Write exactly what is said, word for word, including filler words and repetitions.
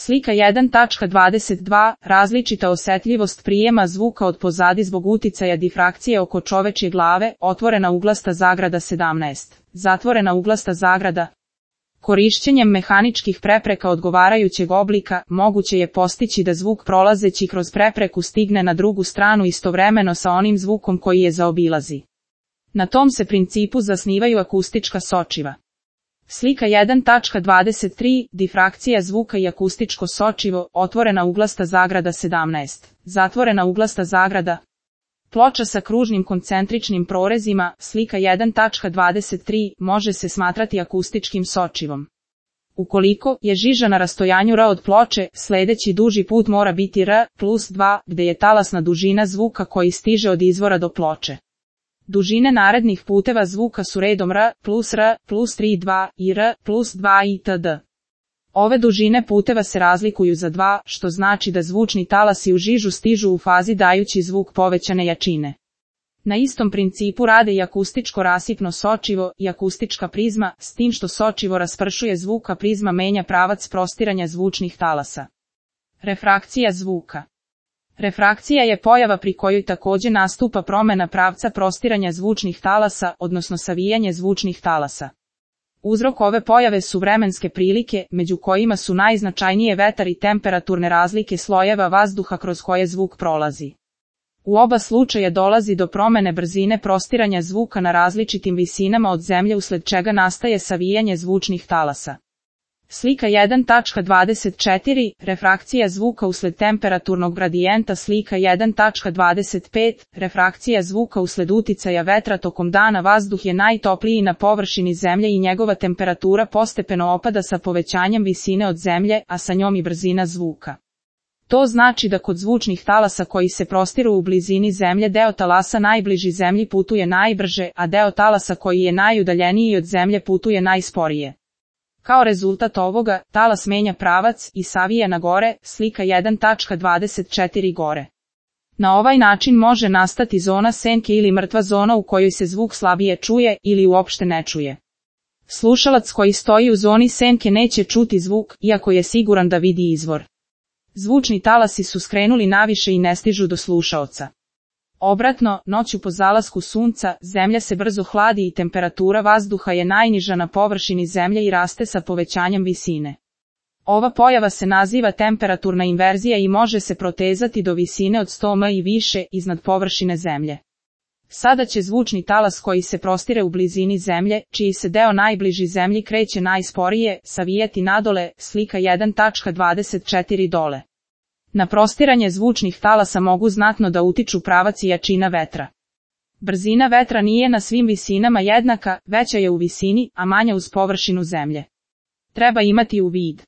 Slika jedan tačka dvadeset dva. Različita osetljivost prijema zvuka od pozadi zbog uticaja difrakcije oko čovečje glave, otvorena uglasta zagrada sedamnaest, zatvorena uglasta zagrada. Korišćenjem mehaničkih prepreka odgovarajućeg oblika, moguće je postići da zvuk prolazeći kroz prepreku stigne na drugu stranu istovremeno sa onim zvukom koji je zaobilazi. Na tom se principu zasnivaju akustička sočiva. Slika jedan tačka dvadeset tri. Difrakcija zvuka i akustičko sočivo, otvorena uglasta zagrada sedamnaest, zatvorena uglasta zagrada. Ploča sa kružnim koncentričnim prorezima, slika jedan tačka dvadeset tri, može se smatrati akustičkim sočivom. Ukoliko je žiža na rastojanju R od ploče, sledeći duži put mora biti R plus dva, gde je talasna dužina zvuka koji stiže od izvora do ploče. Dužine narednih puteva zvuka su redom R plus R plus tri dva i R plus dva itd. Ove dužine puteva se razlikuju za dva, što znači da zvučni talasi u žižu stižu u fazi dajući zvuk povećane jačine. Na istom principu rade i akustičko rasipno sočivo i akustička prizma, s tim što sočivo raspršuje zvuk, a prizma menja pravac prostiranja zvučnih talasa. Refrakcija zvuka. Refrakcija je pojava pri kojoj takođe nastupa promena pravca prostiranja zvučnih talasa, odnosno savijanje zvučnih talasa. Uzrok ove pojave su vremenske prilike, među kojima su najznačajnije vetar i temperaturne razlike slojeva vazduha kroz koje zvuk prolazi. U oba slučaja dolazi do promene brzine prostiranja zvuka na različitim visinama od zemlje, usled čega nastaje savijanje zvučnih talasa. Slika jedan tačka dvadeset četiri. Refrakcija zvuka usled temperaturnog gradijenta. Slika jedan tačka dvadeset pet. Refrakcija zvuka usled uticaja vetra tokom dana. Vazduh je najtopliji na površini zemlje i njegova temperatura postepeno opada sa povećanjem visine od zemlje, a sa njom i brzina zvuka. To znači da kod zvučnih talasa koji se prostiru u blizini zemlje deo talasa najbliži zemlji putuje najbrže, a deo talasa koji je najudaljeniji od zemlje putuje najsporije. Kao rezultat ovoga, talas menja pravac i savija na gore, slika jedan tačka dvadeset četiri gore. Na ovaj način može nastati zona senke ili mrtva zona u kojoj se zvuk slabije čuje ili uopšte ne čuje. Slušalac koji stoji u zoni senke neće čuti zvuk, iako je siguran da vidi izvor. Zvučni talasi su skrenuli naviše i ne stižu do slušaoca. Obratno, noću po zalasku sunca, zemlja se brzo hladi i temperatura vazduha je najniža na površini zemlje i raste sa povećanjem visine. Ova pojava se naziva temperaturna inverzija i može se protezati do visine od sto metara i više iznad površine zemlje. Sada će zvučni talas koji se prostire u blizini zemlje, čiji se deo najbliži zemlji kreće najsporije, savijati nadole, slika jedan tačka dvadeset četiri dole. Na prostiranje zvučnih talasa mogu znatno da utiču pravac i jačina vetra. Brzina vetra nije na svim visinama jednaka, veća je u visini, a manja uz površinu zemlje. Treba imati u vid